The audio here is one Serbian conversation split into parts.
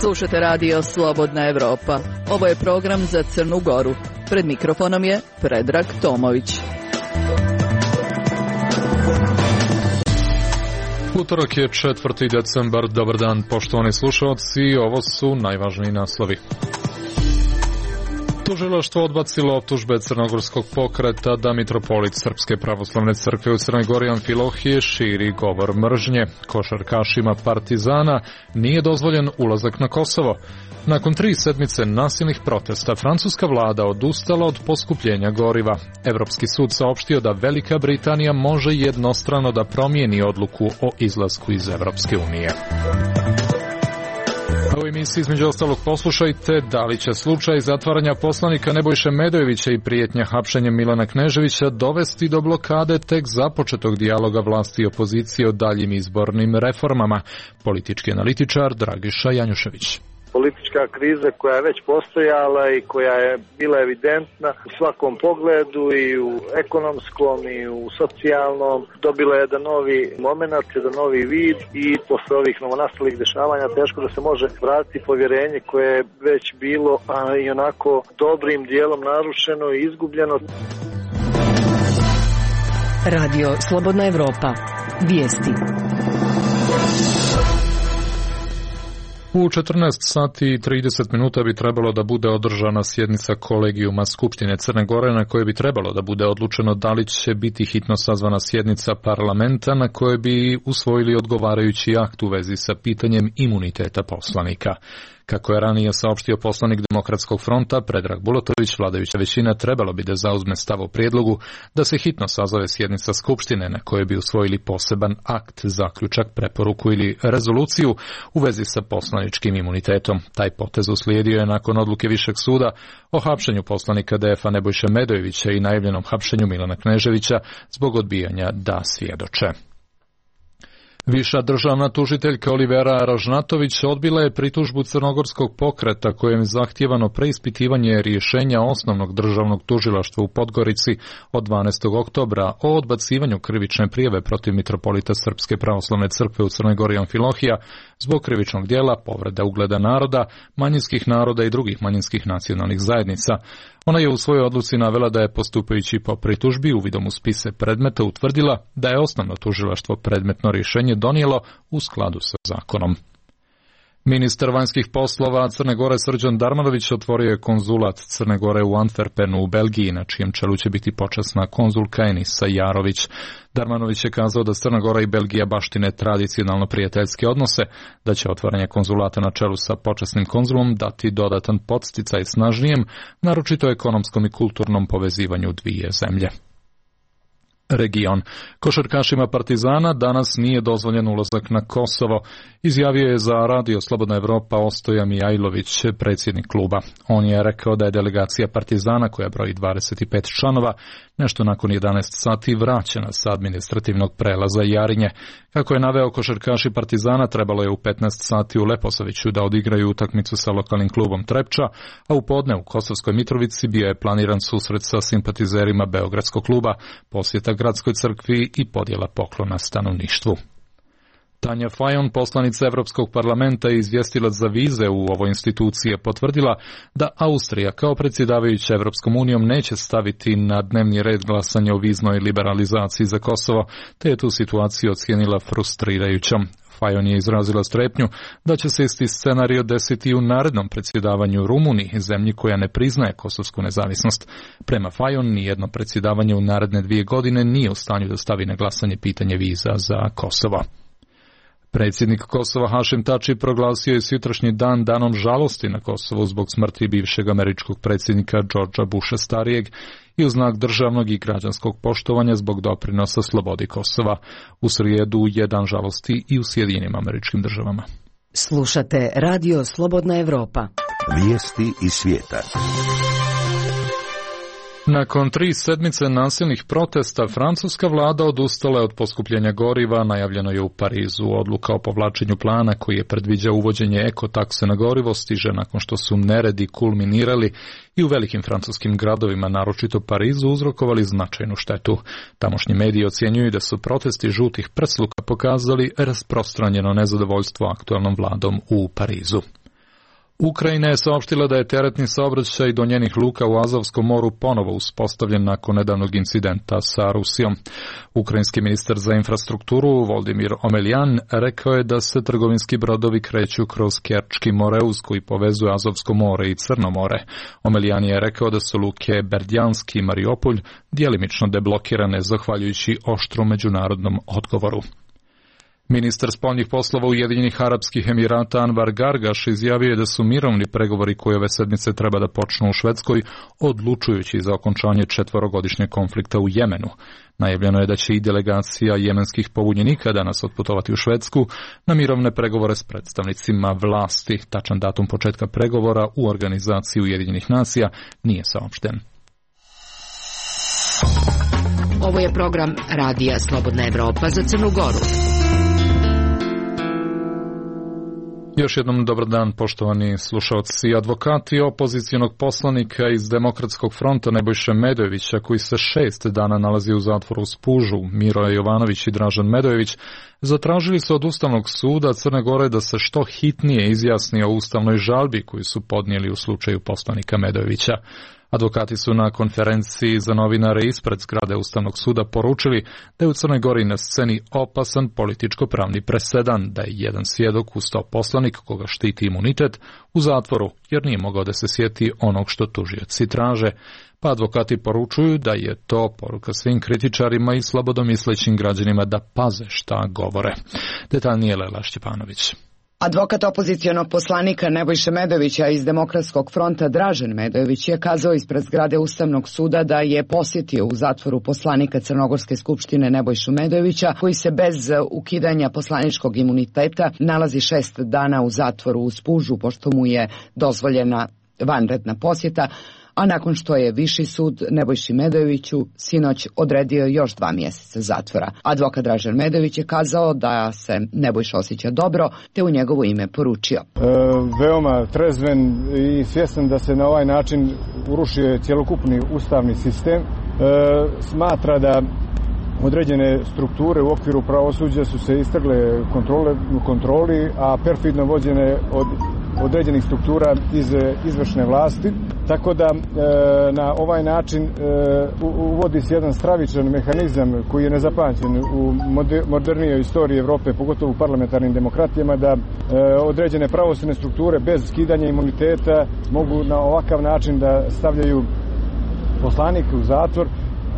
Slušate radio Slobodna Evropa. Ovo je program za Crnu Goru. Pred mikrofonom je Predrag Tomović. Utorak je 4. decembar. Dobar dan, poštovani slušalci. Ovo su najvažniji naslovi. Tužilaštvo odbacilo optužbe crnogorskog pokreta da mitropolit Srpske pravoslavne crkve u Crnoj Gori Amfilohije širi govor mržnje. Košarkašima Partizana nije dozvoljen ulazak na Kosovo. Nakon 3 sedmice nasilnih protesta, francuska vlada odustala od poskupljenja goriva. Evropski sud saopštio da Velika Britanija može jednostrano da promijeni odluku o izlasku iz Evropske unije. U emisiji između ostalog poslušajte da li će slučaj zatvaranja poslanika Nebojše Medojevića i prijetnja hapšenjem Milana Kneževića dovesti do blokade tek započetog dijaloga vlasti i opozicije o daljim izbornim reformama. Politički analitičar Dragiša Janjušević. Politička kriza koja je već postojala i koja je bila evidentna u svakom pogledu i u ekonomskom i u socijalnom dobila je jedan novi moment, jedan novi vid i posle ovih novonastalih dešavanja teško da se može vratiti povjerenje koje je već bilo i onako dobrim dijelom narušeno i izgubljeno. Radio Slobodna Evropa. Vijesti. U 14 sati i 30 minuta bi trebalo da bude održana sjednica kolegijuma Skupštine Crne Gore na kojoj bi trebalo da bude odlučeno da li će biti hitno sazvana sjednica parlamenta na kojoj bi usvojili odgovarajući akt u vezi sa pitanjem imuniteta poslanika. Kako je ranije saopštio poslanik Demokratskog fronta Predrag Bulatović, vladajuća većina trebalo bi da zauzme stav o prijedlogu da se hitno sazove sjednica Skupštine na kojoj bi usvojili poseban akt, zaključak, preporuku ili rezoluciju u vezi sa poslaničkim imunitetom. Taj potez uslijedio je nakon odluke Višeg suda o hapšenju poslanika DF-a Nebojše Medojevića i najavljenom hapšenju Milana Kneževića zbog odbijanja da svjedoče. Viša državna tužiteljka Olivera Ražnatović odbila je pritužbu crnogorskog pokreta kojem je zahtijevano preispitivanje rješenja osnovnog državnog tužilaštva u Podgorici od 12. oktobra o odbacivanju krivične prijave protiv mitropolita Srpske pravoslavne crkve u Crnoj Gori Amfilohija zbog krivičnog djela povreda ugleda naroda, manjinskih naroda i drugih manjinskih nacionalnih zajednica. Ona je u svojoj odluci navela da je postupajući po pritužbi uvidom u spise predmeta utvrdila da je osnovno tužilaštvo predmetno rješenje donijelo u skladu sa zakonom. Ministar vanjskih poslova Crne Gore Srđan Darmanović otvorio je konzulat Crne Gore u Antwerpenu u Belgiji, na čijem čelu će biti počasna konzulka Enisa Jarović. Darmanović je kazao da Crna Gora i Belgija baštine tradicionalno prijateljske odnose, da će otvaranje konzulata na čelu sa počasnim konzulom dati dodatan podsticaj snažnijem, naročito ekonomskom i kulturnom povezivanju dvije zemlje. Region. Košarkašima Partizana danas nije dozvoljen ulazak na Kosovo, izjavio je za Radio Slobodna Evropa Ostoja Mijajlović, predsjednik kluba. On je rekao da je delegacija Partizana, koja broji 25 članova, nešto nakon 11 sati vraćena sa administrativnog prelaza Jarinje. Kako je naveo, košarkaši Partizana trebalo je u 15 sati u Leposaviću da odigraju utakmicu sa lokalnim klubom Trepča, a u podne u Kosovskoj Mitrovici bio je planiran susret sa simpatizerima Beogradskog kluba, posjeta gradskoj crkvi i podjela poklona stanovništvu. Tanja Fajon, poslanica Evropskog parlamenta i izvjestilac za vize u ovoj instituciji, je potvrdila da Austrija kao predsjedavajuća Evropskom unijom neće staviti na dnevni red glasanje o viznoj liberalizaciji za Kosovo, te je tu situaciju ocijenila frustrirajućom. Fajon je izrazila strepnju da će se isti scenario desiti u narednom predsjedavanju Rumuniji, zemlji koja ne priznaje kosovsku nezavisnost. Prema Fajon, nijedno predsjedavanje u naredne 2 godine nije u stanju da stavi na glasanje pitanje viza za Kosovo. Predsjednik Kosova Hašim Tači proglasio je sutrašnji dan danom žalosti na Kosovu zbog smrti bivšeg američkog predsjednika Georgea Busha starijeg i u znak državnog i građanskog poštovanja zbog doprinosa slobodi Kosova. U srijedu je dan žalosti i u Sjedinjenim Američkim Državama. Slušate Radio Slobodna Evropa. Vijesti iz svijeta. Nakon 3 sedmice nasilnih protesta, francuska vlada odustala je od poskupljenja goriva, najavljeno je u Parizu. Odluka o povlačenju plana koji je predviđao uvođenje ekotakse na gorivo stiže nakon što su neredi kulminirali i u velikim francuskim gradovima, naročito Parizu, uzrokovali značajnu štetu. Tamošnji mediji ocjenjuju da su protesti žutih prsluka pokazali rasprostranjeno nezadovoljstvo aktualnom vladom u Parizu. Ukrajina je saopštila da je teretni saobraćaj do njenih luka u Azovskom moru ponovo uspostavljen nakon nedavnog incidenta sa Rusijom. Ukrajinski ministar za infrastrukturu Voldimir Omeljan rekao je da se trgovinski brodovi kreću kroz Kerčki moreuz koji povezuje Azovsko more i Crno more. Omeljan je rekao da su luke Berdjanski i Mariupolj djelimično deblokirane zahvaljujući oštrom međunarodnom odgovoru. Ministar spoljnih poslova Ujedinjenih Arapskih Emirata Anvar Gargaš izjavio je da su mirovni pregovori koji ove sedmice treba da počnu u Švedskoj odlučujući za okončanje 4-godišnjeg konflikta u Jemenu. Najavljeno je da će i delegacija jemenskih pobunjenika danas otputovati u Švedsku na mirovne pregovore s predstavnicima vlasti. Tačan datum početka pregovora u organizaciji Ujedinjenih nacija nije saopšten. Ovo je program Radija Slobodna Evropa za Crnu Goru. Još jednom dobar dan, poštovani slušalci. Advokati opozicionog poslanika iz Demokratskog fronta Nebojše Medojevića, koji se 6 dana nalazi u zatvoru u Spužu, Miroje Jovanović i Dražen Medojević, zatražili su od Ustavnog suda Crne Gore da se što hitnije izjasni o ustavnoj žalbi koju su podnijeli u slučaju poslanika Medojevića. Advokati su na konferenciji za novinare ispred zgrade Ustavnog suda poručili da je u Crnoj Gori na sceni opasan političko-pravni presedan, da je jedan svjedok ustao poslanik koga štiti imunitet u zatvoru jer nije mogao da se sjeti onog što tužioci traže. Pa advokati poručuju da je to poruka svim kritičarima i slobodomislećim građanima da paze šta govore. Detaljnije Lela Šćepanović. Advokat opozicionog poslanika Nebojše Medojevića iz Demokratskog fronta Dražen Medojević je kazao ispred zgrade Ustavnog suda da je posjetio u zatvoru poslanika Crnogorske skupštine Nebojšu Medojevića, koji se bez ukidanja poslaničkog imuniteta nalazi 6 dana u zatvoru u Spužu, pošto mu je dozvoljena vanredna posjeta, a nakon što je Viši sud Nebojši Medojeviću sinoć odredio još 2 mjeseca zatvora. Advokat Dražen Medojević je kazao da se Nebojša osjeća dobro, te u njegovo ime poručio. Veoma trezven i svjestan da se na ovaj način urušio cjelokupni ustavni sistem. Smatra da određene strukture u okviru pravosuđa su se istrgle kontroli, a perfidno vođene od određenih struktura iz izvršne vlasti. Tako da na ovaj način uvodi se jedan stravičan mehanizam koji je nezapamćen u modernijoj istoriji Evrope, pogotovo u parlamentarnim demokratijama, da određene pravosudne strukture bez skidanja imuniteta mogu na ovakav način da stavljaju poslanike u zatvor,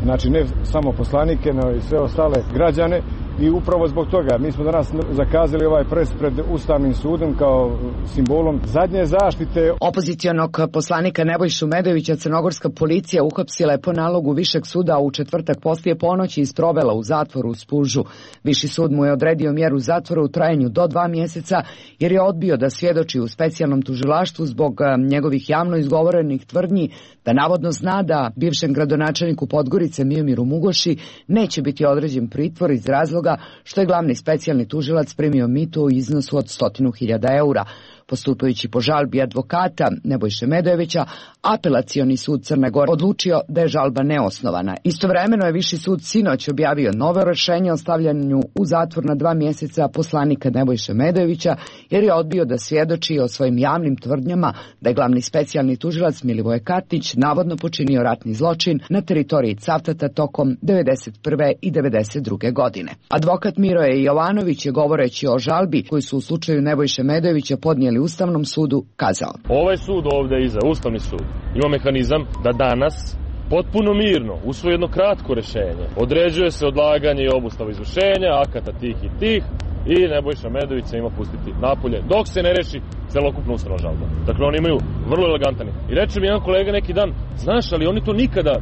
znači ne samo poslanike, no i sve ostale građane. I upravo zbog toga mi smo danas zakazali ovaj pres pred Ustavnim sudom kao simbolom zadnje zaštite. Opozicionog poslanika Nebojšu Medojevića crnogorska policija uhapsila je po nalogu Višeg suda u četvrtak poslije ponoći i sprovela u zatvoru u Spužu. Viši sud mu je odredio mjeru zatvora u trajanju do 2 mjeseca jer je odbio da svjedoči u specijalnom tužilaštvu zbog njegovih javno izgovorenih tvrdnji da navodno zna da bivšem gradonačelniku Podgorice Miomiru Mugoši neće biti određen pritvor iz razloga što je glavni specijalni tužilac primio mito u iznosu od 100.000 eura. Postupajući po žalbi advokata Nebojše Medojevića, apelacioni sud Crne Gore odlučio da je žalba neosnovana. Istovremeno je Viši sud sinoć objavio novo rješenje o stavljanju u zatvor na 2 mjeseca poslanika Nebojše Medojevića jer je odbio da svjedoči o svojim javnim tvrdnjama da je glavni specijalni tužilac Milivoje Katić navodno počinio ratni zločin na teritoriji Cavtata tokom 1991. i 1992. godine. Advokat Miroje Jovanović je govoreći o žalbi koju su u slučaju Nebojše Medojevića podnijeli Ustavnom sudu kazao. Ovaj sud ovdje iza, Ustavni sud, ima mehanizam da danas potpuno mirno usvoji jedno kratko rješenje. Određuje se odlaganje i obustava izvršenja, akata tih i tih i Nebojša Medojević se ima pustiti napolje dok se ne reši celokupna ustavna žalba. Dakle, oni imaju vrlo elegantan. I reče mi jedan kolega neki dan, znaš, ali oni to nikada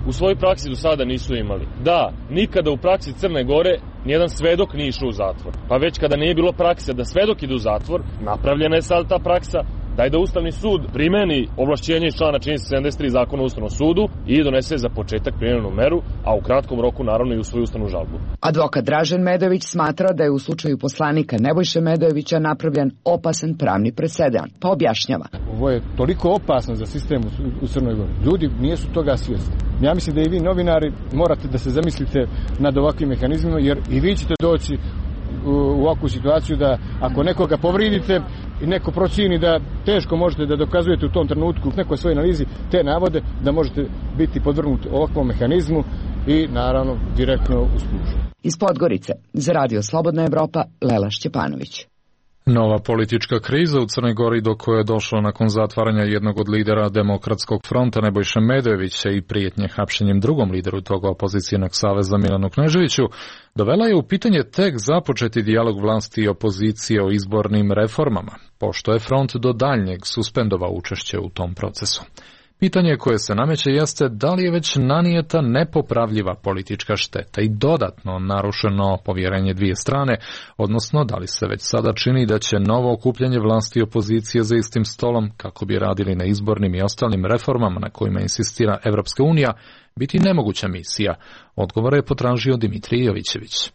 u svojoj praksi do sada nisu imali. Da, nikada u praksi Crne Gore nijedan svedok nije išao u zatvor. Pa već kada nije bilo prakse da svedok ide u zatvor, napravljena je sad ta praksa Daj da Ustavni sud primeni ovlašćenje iz člana 73 Zakona o Ustavnom sudu i donese za početak primenjenu meru, a u kratkom roku naravno i usvoji ustavnu žalbu. Advokat Dražen Medović smatra da je u slučaju poslanika Nebojše Medojevića napravljen opasan pravni presedan, pa objašnjava. Ovo je toliko opasno za sistem u Crnoj Gori. Ljudi nisu toga svjesni. Ja mislim da i vi novinari morate da se zamislite nad ovakvim mehanizmima, jer i vi ćete doći u ovakvu situaciju da ako nekoga povridite i neko procijeni da teško možete da dokazujete u tom trenutku u nekoj svojoj analizi te navode, da možete biti podvrgnuti ovakvom mehanizmu i naravno direktno u spužu. Iz Podgorice za Radio Slobodna Evropa, Lela Šćepanović. Nova politička kriza u Crnoj Gori, do koje je došlo nakon zatvaranja jednog od lidera Demokratskog fronta Nebojše Medojevića i prijetnje hapšenjem drugom lideru tog opozicijnog saveza Milanu Kneževiću, dovela je u pitanje tek započeti dijalog vlasti i opozicije o izbornim reformama, pošto je front do daljnjeg suspendovao učešće u tom procesu. Pitanje koje se nameće jeste da li je već nanijeta nepopravljiva politička šteta i dodatno narušeno povjerenje dvije strane, odnosno da li se već sada čini da će novo okupljanje vlasti i opozicije za istim stolom, kako bi radili na izbornim i ostalim reformama na kojima insistira Evropska unija, biti nemoguća misija. Odgovore je potražio Dimitrij Jovićević.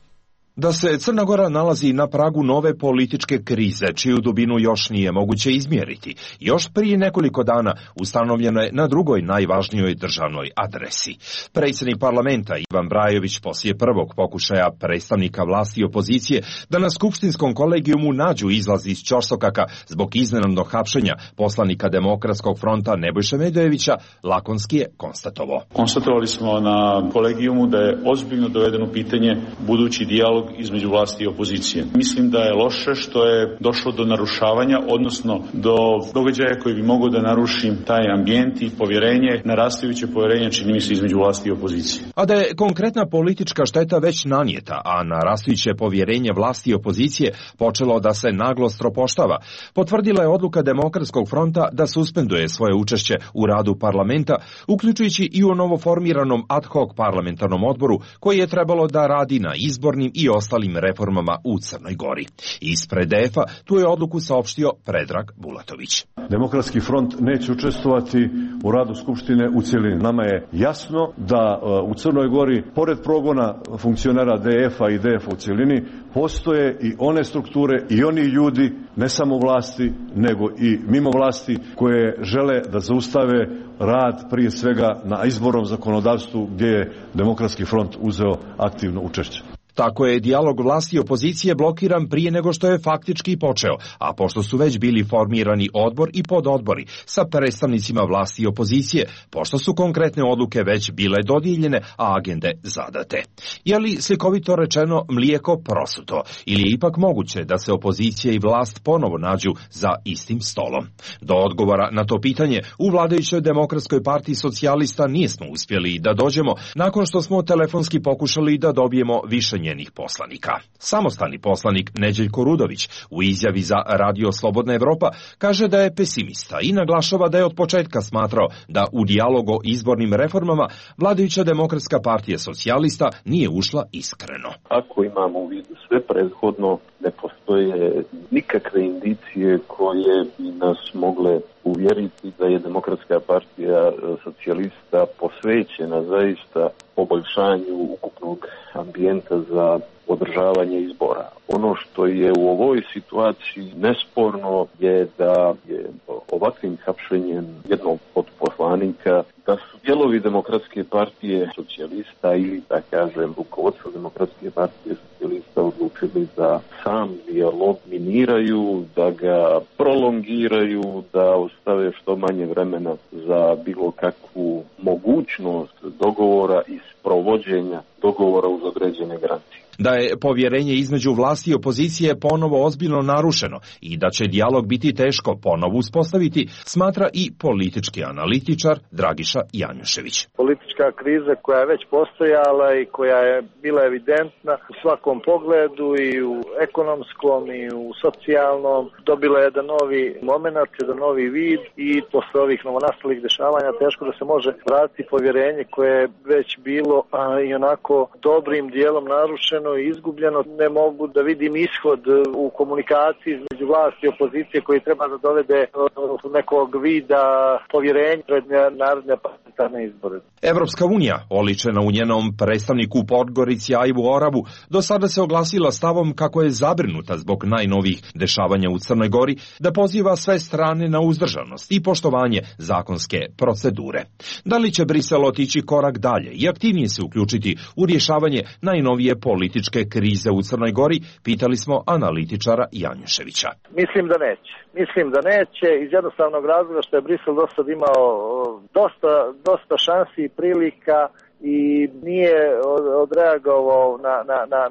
Da se Crna Gora nalazi na pragu nove političke krize, čiju dubinu još nije moguće izmjeriti. Još prije nekoliko dana ustanovljeno je na drugoj najvažnijoj državnoj adresi. Predsjednik parlamenta Ivan Brajović poslije prvog pokušaja predstavnika vlasti i opozicije da na skupštinskom kolegijumu nađu izlaz iz ćorsokaka zbog iznenadnog hapšenja poslanika Demokratskog fronta Nebojše Medojevića, lakonski je konstatovao. Konstatovali smo na kolegijumu da je ozbiljno dovedeno pitanje budući dijalog između vlasti i opozicije. Mislim da je loše što je došlo do narušavanja, odnosno do događaja koji bi mogao da naruši taj ambijent i povjerenje, narastajuće povjerenje, čini mi se, između vlasti i opozicije. A da je konkretna politička šteta već nanijeta, a narastajuće povjerenje vlasti i opozicije počelo da se naglo stropoštava, potvrdila je odluka Demokratskog fronta da suspenduje svoje učešće u radu parlamenta, uključujući i u novoformiranom ad hoc parlamentarnom odboru koji je trebalo da radi na izbornim i ostalim reformama u Crnoj Gori. Ispred DF-a tu je odluku saopštio Predrag Bulatović. Demokratski front neće učestvovati u radu Skupštine u cjelini. Nama je jasno da u Crnoj Gori, pored progona funkcionera DF-a i DF-a u cjelini, postoje i one strukture i oni ljudi, ne samo vlasti, nego i mimo vlasti, koje žele da zaustave rad prije svega na izbornom zakonodavstvu gdje je Demokratski front uzeo aktivno učešće. Tako je dijalog vlasti i opozicije blokiran prije nego što je faktički počeo, a pošto su već bili formirani odbor i pododbori sa predstavnicima vlasti i opozicije, pošto su konkretne odluke već bile dodijeljene, a agende zadate. Je li, slikovito rečeno, mlijeko prosuto, ili je ipak moguće da se opozicija i vlast ponovo nađu za istim stolom? Do odgovora na to pitanje u vladajućoj Demokratskoj partiji socijalista nismo uspjeli da dođemo nakon što smo telefonski pokušali da dobijemo više njenih poslanika. Samostalni poslanik Neđeljko Rudović u izjavi za Radio Slobodna Evropa kaže da je pesimista i naglašava da je od početka smatrao da u dijalog o izbornim reformama vladajuća Demokratska partija socijalista nije ušla iskreno. Ako imamo u vidu sve prethodno, ne postoje nikakve indicije koje bi nas mogle uvjeriti da je Demokratska partija socijalista posvećena zaista poboljšanju ukupnog ambijenta za održavanje izbora. Ono što je u ovoj situaciji nesporno je da je ovakvim hapšenjem jednog od poslanika, da su dijelovi Demokratske partije socijalista ili, da kažem, rukovodstvo Demokratske partije socijalista odlučili da sam dijalog miniraju, da ga prolongiraju, da ostave što manje vremena za bilo kakvu mogućnost dogovora i sprovođenja dogovora uz određene granice. Da je povjerenje između vlasti i opozicije ponovo ozbiljno narušeno i da će dijalog biti teško ponovo uspostaviti, smatra i politički analitičar Dragiša Janjušević. Politička kriza koja je već postojala i koja je bila evidentna u svakom pogledu i u ekonomskom i u socijalnom dobila jedan novi moment, jedan novi vid i posle ovih novonastalih dešavanja teško da se može vratiti povjerenje koje je već bilo i onako dobrim dijelom narušeno i izgubljeno. Ne mogu da vidim ishod u komunikaciji između vlasti i opozicije koji treba da dovede do nekog vida povjerenja pred narodne parlamentarne izbore. Evropska unija, oličena u njenom predstavniku u Podgorici Ajvu Oravu, do sada se oglasila stavom kako je zabrinuta zbog najnovijih dešavanja u Crnoj Gori, da poziva sve strane na uzdržanost i poštovanje zakonske procedure. Da li će Brisel otići korak dalje i aktivnije se uključiti u rješavanje najnovije političke krize u Crnoj Gori, pitali smo analitičara Janjuševića. Mislim da neće iz jednostavnog razloga što je Brisel do sad imao dosta šansi i prilika i nije odreagovao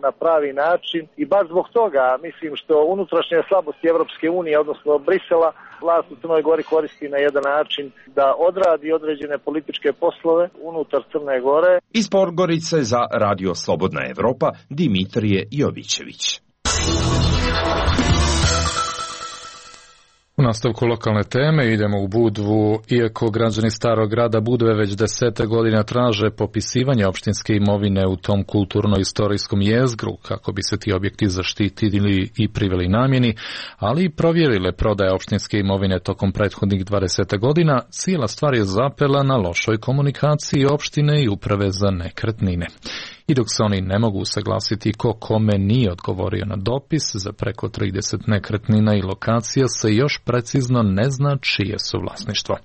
na pravi način i baš zbog toga mislim što unutrašnje slabosti Evropske unije, odnosno Brisela, vlast u Crnoj Gori koristi na jedan način da odradi određene političke poslove unutar Crne Gore. Iz Podgorice za Radio Slobodna Evropa, Dimitrije Jovićević. U nastavku lokalne teme idemo u Budvu. Iako građani Starog grada Budve već 10 godina traže popisivanje opštinske imovine u tom kulturno-istorijskom jezgru kako bi se ti objekti zaštitili i priveli namjeni, ali i provjerile prodaje opštinske imovine tokom prethodnih 20 godina, cijela stvar je zapela na lošoj komunikaciji opštine i uprave za nekretnine. I dok se oni ne mogu usaglasiti ko kome nije odgovorio na dopis, za preko 30 nekretnina i lokacija se još precizno ne zna čije su vlasništvo.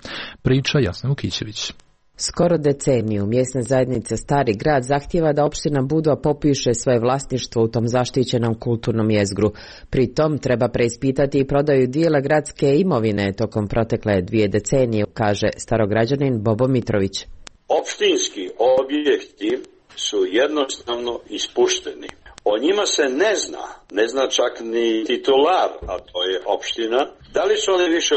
Priča Jasna Vukićević. Skoro deceniju mjesna zajednica Stari grad zahtijeva da opština Budva popiše svoje vlasništvo u tom zaštićenom kulturnom jezgru. Pri tom treba preispitati i prodaju dijela gradske imovine tokom protekle 2 decenije, kaže starograđanin Bobo Mitrović. Opštinski objekti su jednostavno ispušteni. O njima se ne zna čak ni titular, a to je opština. Da li su oni više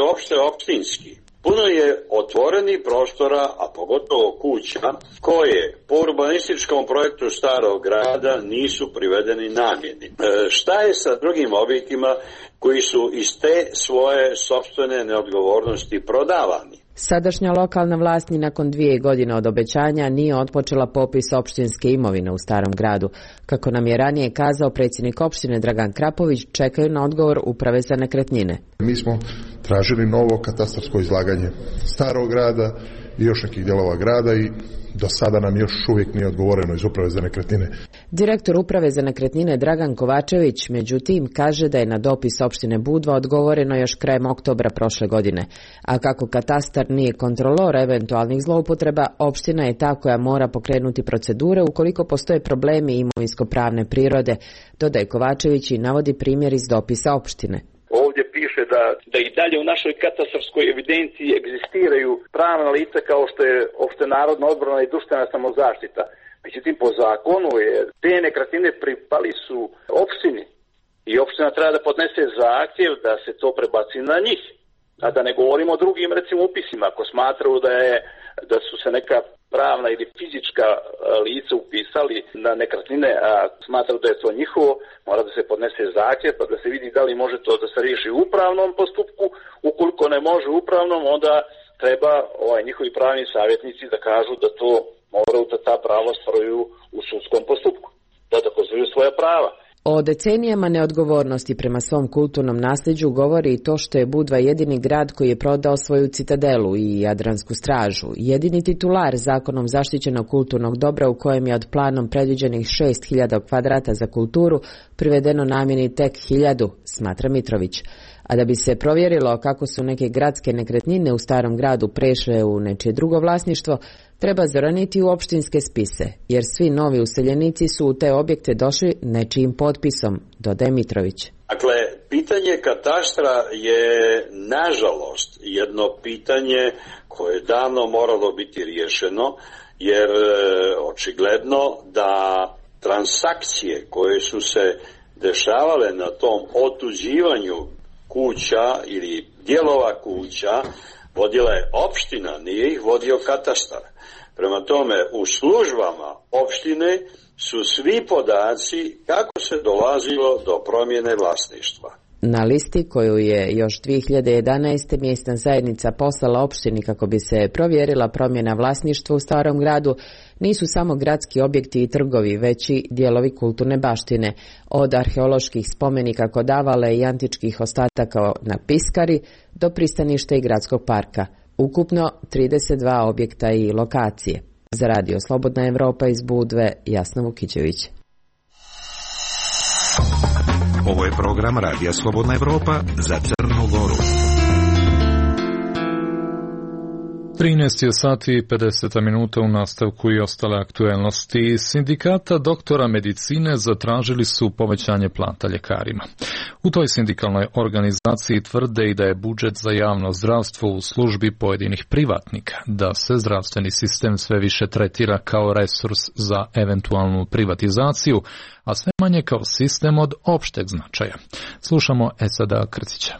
opštinski? Puno je otvorenih prostora, a pogotovo kuća, koje po urbanističkom projektu Starog grada nisu privedeni namjeni. Šta je sa drugim objektima koji su iz te svoje sopstvene neodgovornosti prodavani? Sadašnja lokalna vlast ni nakon 2 godine od obećanja nije otpočela popis opštinske imovine u Starom gradu. Kako nam je ranije kazao predsjednik opštine Dragan Krapović, čekaju na odgovor uprave za nekretnine. Mi smo tražili novo katastarsko izlaganje Starog grada i još nekih dijelova grada i do sada nam još uvijek nije odgovoreno iz uprave za nekretnine. Direktor uprave za nekretnine Dragan Kovačević, međutim, kaže da je na dopis opštine Budva odgovoreno još krajem oktobra prošle godine. A kako katastar nije kontrolor eventualnih zloupotreba, opština je ta koja mora pokrenuti procedure ukoliko postoje problemi imovinsko-pravne prirode, dodaje Kovačević i navodi primjer iz dopisa opštine. Ovdje piše da i dalje u našoj katastarskoj evidenciji egzistiraju pravna lica kao što je opštenarodna odbrana i društvena samozaštita. Međutim, po zakonu je te nekretnine pripali su opštini i opština treba da podnese zahtjev da se to prebaci na njih. A da ne govorimo o drugim, recimo, upisima. Ako smatraju da su se neka pravna ili fizička lica upisali na nekretnine, a smatraju da je to njihovo, mora da se podnese zahtjev pa da se vidi da li može to da se riješi u upravnom postupku. Ukoliko ne može u upravnom, onda treba njihovi pravni savjetnici da kažu da to moraju da ta prava ostvaruju u sudskom postupku, da dokazuju svoja prava. O decenijama neodgovornosti prema svom kulturnom nasljeđu govori i to što je Budva jedini grad koji je prodao svoju citadelu i Jadransku stražu, jedini titular zakonom zaštićenog kulturnog dobra u kojem je od planom predviđenih 6000 kvadrata za kulturu privedeno namjeni tek 1000, smatra Mitrović. A da bi se provjerilo kako su neke gradske nekretnine u Starom gradu prešle u nečije drugo vlasništvo, treba zoraniti u opštinske spise, jer svi novi useljenici su u te objekte došli nečijim potpisom, dodaje Mitrović. Dakle, pitanje katastra je, nažalost, jedno pitanje koje je davno moralo biti riješeno, jer očigledno da transakcije koje su se dešavale na tom otuđivanju kuća ili dijelova kuća vodila je opština, nije ih vodio katastar. Prema tome, u službama opštine su svi podaci kako se dolazilo do promjene vlasništva. Na listi koju je još 2011. mjesna zajednica poslala opštini kako bi se provjerila promjena vlasništva u Starom gradu nisu samo gradski objekti i trgovi, već i dijelovi kulturne baštine, od arheoloških spomenika kod Avale i antičkih ostataka na Piskari do pristaništa i gradskog parka. Ukupno 32 objekta i lokacije. Za Radio Slobodna Evropa iz Budve, Jasna Vukićević. Ovo je program Radija Slobodna Evropa za Crnu Goru. 13 je sati i 50 minuta u nastavku i ostale aktuelnosti. Sindikata doktora medicine zatražili su povećanje plata ljekarima. U toj sindikalnoj organizaciji tvrde i da je budžet za javno zdravstvo u službi pojedinih privatnika, da se zdravstveni sistem sve više tretira kao resurs za eventualnu privatizaciju, a sve manje kao sistem od opšteg značaja. Slušamo Esada Krcića.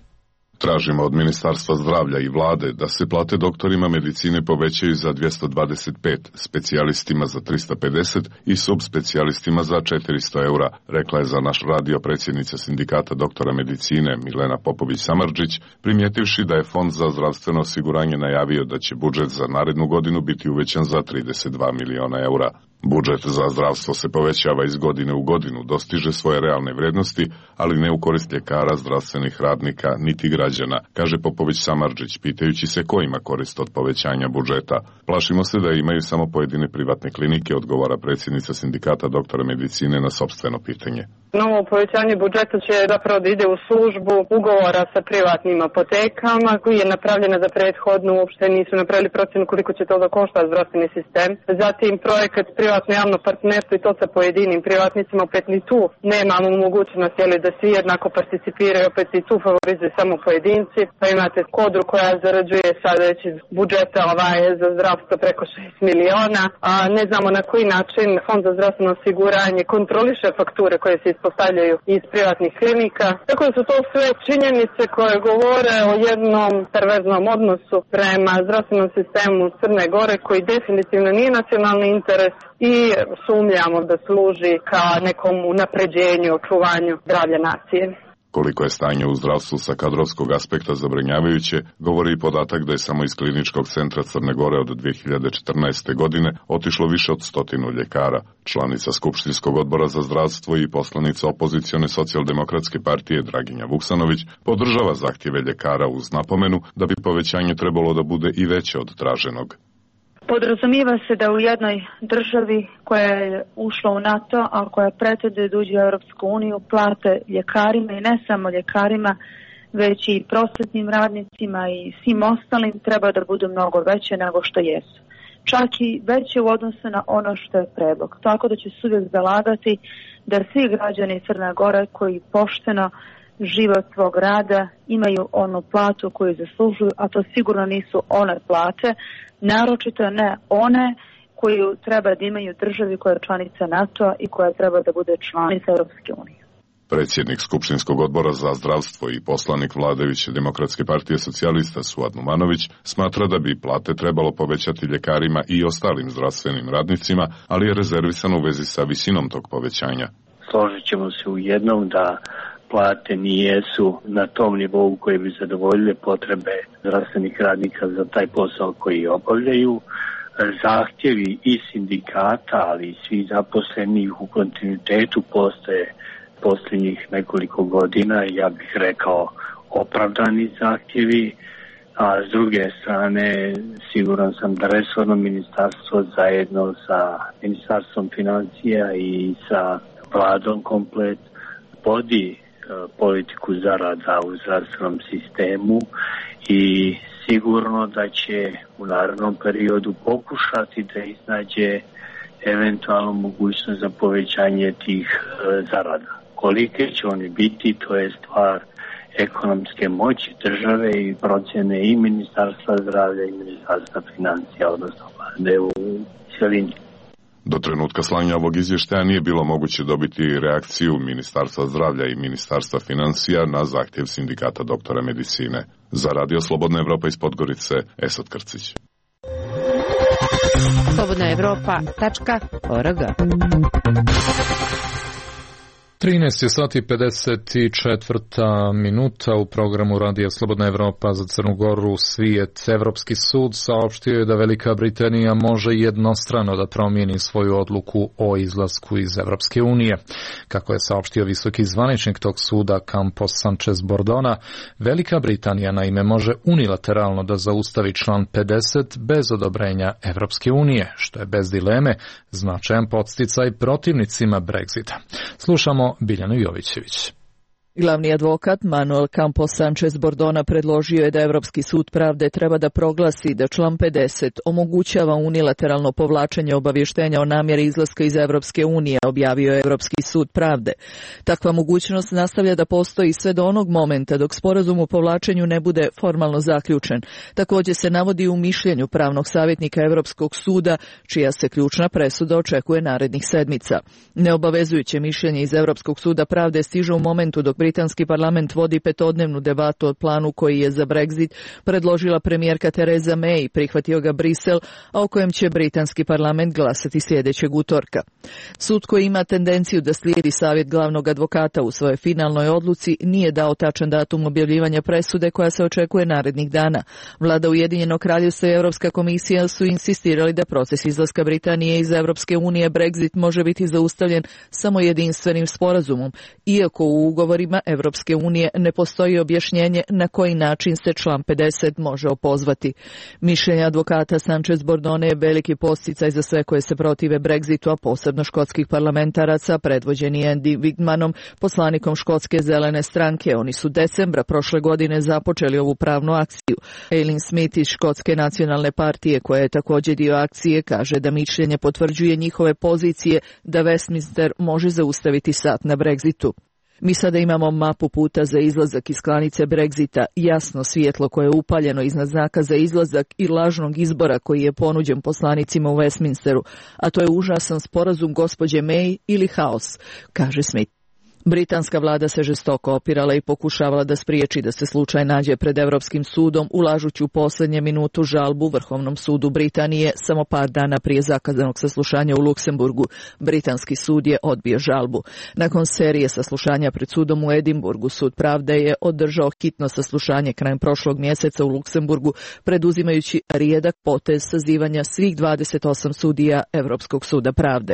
Tražimo od Ministarstva zdravlja i vlade da se plate doktorima medicine povećaju za 225, specijalistima za 350 i subspecijalistima za 400 eura, rekla je za naš radio predsjednica sindikata doktora medicine Milena Popović-Samardžić, primjetivši da je Fond za zdravstveno osiguranje najavio da će budžet za narednu godinu biti uvećan za 32 miliona eura. Budžet za zdravstvo se povećava iz godine u godinu, dostiže svoje realne vrednosti, ali ne u korist ljekara, zdravstvenih radnika, niti građana, kaže Popović-Samardžić, pitajući se ko ima korist od povećanja budžeta. Plašimo se da imaju samo pojedine privatne klinike, odgovara predsjednica sindikata doktora medicine na sopstveno pitanje. Novo povećanje budžeta će zapravo da ide u službu ugovora sa privatnim apotekama koji je napravljena za prethodnu, uopšte nisu napravili procenu koliko će to da košta zdravstveni sistem. Zatim projekat privatno-javno partnerstvo i to sa pojedinim privatnicima, opet ni tu nemamo mogućnost da svi jednako participiraju, opet i tu favorizuju samo pojedinci. Pa imate Kodru koja zarađuje sada već iz budžeta za zdravstvo preko 6 miliona, a ne znamo na koji način Fond za zdravstveno osiguranje kontroliše fakture koje se ispostavljaju iz privatnih klinika. Tako da su to sve činjenice koje govore o jednom perverznom odnosu prema zdravstvenom sistemu Crne Gore koji definitivno nije nacionalni interes i sumnjamo da služi ka nekom unapređenju, očuvanju zdravlja nacije. Koliko je stanje u zdravstvu sa kadrovskog aspekta zabrinjavajuće, govori i podatak da je samo iz Kliničkog centra Crne Gore od 2014. godine otišlo više od 100 ljekara. Članica Skupštinskog odbora za zdravstvo i poslanica opozicione socijaldemokratske partije Draginja Vuksanović podržava zahtjeve ljekara uz napomenu da bi povećanje trebalo da bude i veće od traženog. Podrazumijeva se da u jednoj državi koja je ušla u NATO, a koja pretende da uđe u Europsku uniju, plate ljekarima i ne samo ljekarima, već i prosvetnim radnicima i svim ostalim treba da budu mnogo veće nego što jesu. Čak i veće u odnosu na ono što je predlog. Tako da će se uvijek zalagati da svi građani Crne Gore koji pošteno život svog rada imaju onu platu koju zaslužuju, a to sigurno nisu one plate, naročito ne one koju treba da imaju državi koja je članica NATO-a i koja treba da bude članica Europske unije. Predsjednik Skupštinskog odbora za zdravstvo i poslanik vladajuće Demokratske partije socijalista Suad Numanović smatra da bi plate trebalo povećati ljekarima i ostalim zdravstvenim radnicima, ali je rezervisan u vezi sa visinom tog povećanja. Složit ćemo se u jednom da plate nijesu na tom nivou koji bi zadovoljile potrebe zdravstvenih radnika za taj posao koji obavljaju. Zahtjevi i sindikata, ali i svi zaposlenih u kontinuitetu postoje posljednjih nekoliko godina, ja bih rekao opravdani zahtjevi, a s druge strane siguran sam da resorno ministarstvo zajedno sa Ministarstvom financija i sa vladom komplet vodi politiku zarada u zdravstvenom sistemu i sigurno da će u narednom periodu pokušati da iznađe eventualno mogućnost za povećanje tih zarada. Kolike će oni biti, to je stvar ekonomske moći države i procjene i Ministarstva zdravlja i Ministarstva financija, odnosno vlade u cjelini. Do trenutka slanja ovog izvještaja nije bilo moguće dobiti reakciju Ministarstva zdravlja i Ministarstva financija na zahtjev sindikata doktora medicine. Za Radio Slobodna Evropa iz Podgorice, Esad Krcić. slobodnaevropa.org. 13 je sati 54 minuta u programu Radija Slobodna Evropa za Crnu Goru. Svijet. Evropski sud saopštio je da Velika Britanija može jednostrano da promijeni svoju odluku o izlasku iz Evropske unije. Kako je saopštio visoki zvaničnik tog suda Campos Sanchez Bordona, Velika Britanija naime može unilateralno da zaustavi član 50 bez odobrenja Evropske unije, što je bez dileme značajan podsticaj protivnicima Brexita. Slušamo Biljanu Jovićević. Glavni advokat Manuel Campos Sanchez Bordona predložio je da Evropski sud pravde treba da proglasi da član 50 omogućava unilateralno povlačenje obavještenja o namjeri izlaska iz Evropske unije, objavio je Evropski sud pravde. Takva mogućnost nastavlja da postoji sve do onog momenta dok sporazum o povlačenju ne bude formalno zaključen. Također se navodi u mišljenju pravnog savjetnika Evropskog suda, čija se ključna presuda očekuje narednih sedmica. Neobavezujuće mišljenje iz Evropskog suda pravde stiže u momentu dok britanski parlament vodi petodnevnu debatu o planu koji je za Brexit predložila premijerka Theresa May i prihvatio ga Brisel, a o kojem će britanski parlament glasati sljedećeg utorka. Sud koji ima tendenciju da slijedi savjet glavnog advokata u svojoj finalnoj odluci nije dao tačan datum objavljivanja presude koja se očekuje narednih dana. Vlada Ujedinjenog Kraljevstva i Europska komisija su insistirali da proces izlaska Britanije iz Evropske unije Brexit može biti zaustavljen samo jedinstvenim sporazumom, iako u ugovorima Evropske unije ne postoji objašnjenje na koji način se član 50 može opozvati. Mišljenje advokata Sanchez Bordone je veliki podsticaj za sve koje se protive Brexitu, a posebno škotskih parlamentaraca, predvođeni Andy Wigmanom, poslanikom Škotske zelene stranke. Oni su decembra prošle godine započeli ovu pravnu akciju. Aileen Smith iz Škotske nacionalne partije, koja je također dio akcije, kaže da mišljenje potvrđuje njihove pozicije da Westminster može zaustaviti sat na Brexitu. Mi sada imamo mapu puta za izlazak iz klanice Brexita, jasno svjetlo koje je upaljeno iznad znaka za izlazak i lažnog izbora koji je ponuđen poslanicima u Westminsteru, a to je užasan sporazum gospođe May ili haos, kaže Smith. Britanska vlada se žestoko opirala i pokušavala da spriječi da se slučaj nađe pred Evropskim sudom, ulažući u posljednje minutu žalbu Vrhovnom sudu Britanije samo par dana prije zakazanog saslušanja u Luksemburgu. Britanski sud je odbio žalbu. Nakon serije saslušanja pred sudom u Edinburgu, sud pravde je održao hitno saslušanje krajem prošlog mjeseca u Luksemburgu, preduzimajući rijedak potez sazivanja svih 28 sudija Evropskog suda pravde.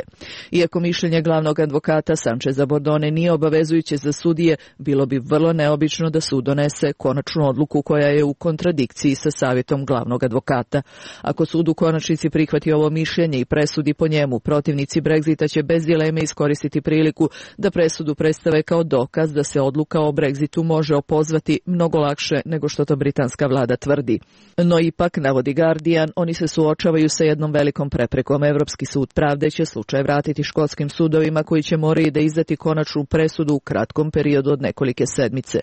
Iako mišljenje glavnog advokata Sancheza Bordone nije obavezujuće za sudije, bilo bi vrlo neobično da sud donese konačnu odluku koja je u kontradikciji sa savjetom glavnog advokata. Ako sud u konačnici prihvati ovo mišljenje i presudi po njemu, protivnici Brexita će bez dileme iskoristiti priliku da presudu predstave kao dokaz da se odluka o Brexitu može opozvati mnogo lakše nego što to britanska vlada tvrdi. No ipak, navodi Guardian, oni se suočavaju sa jednom velikom preprekom. Evropski sud pravde će slučaj vratiti škotskim sudovima koji će morati da izdati konačnu presudu u kratkom periodu od nekolike sedmice.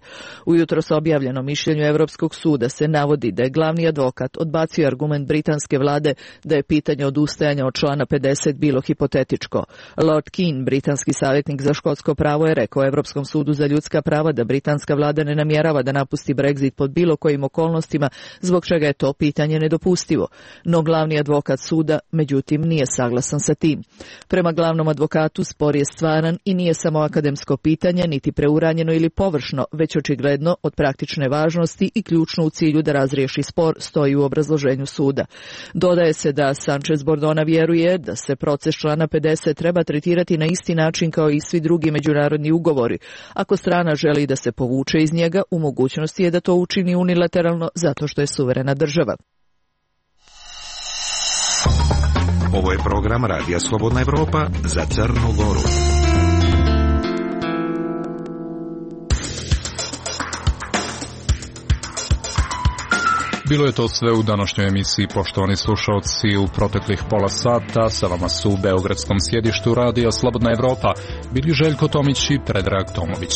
U jutros objavljenom mišljenju Evropskog suda se navodi da je glavni advokat odbacio argument britanske vlade da je pitanje odustajanja od člana 50 bilo hipotetičko. Lord Keane, britanski savjetnik za škotsko pravo, je rekao Evropskom sudu za ljudska prava da britanska vlada ne namjerava da napusti Brexit pod bilo kojim okolnostima, zbog čega je to pitanje nedopustivo. No glavni advokat suda, međutim, nije saglasan sa tim. Prema glavnom advokatu, spor je stvaran i nije samo akademsko pitanje, niti preuranjeno ili površno, već očigledno od praktične važnosti i ključno u cilju da razriješi spor, stoji u obrazloženju suda. Dodaje se da Sanchez Bordona vjeruje da se proces člana 50 treba tretirati na isti način kao i svi drugi međunarodni ugovori. Ako strana želi da se povuče iz njega, u mogućnosti je da to učini unilateralno zato što je suverena država. Ovo je program Radija Slobodna Evropa za Crnu Goru. Bilo je to sve u današnjoj emisiji, poštovani slušalci. U proteklih pola sata sa vama su u beogradskom sjedištu Radija Slobodna Evropa bili Željko Tomić i Predrag Tomović.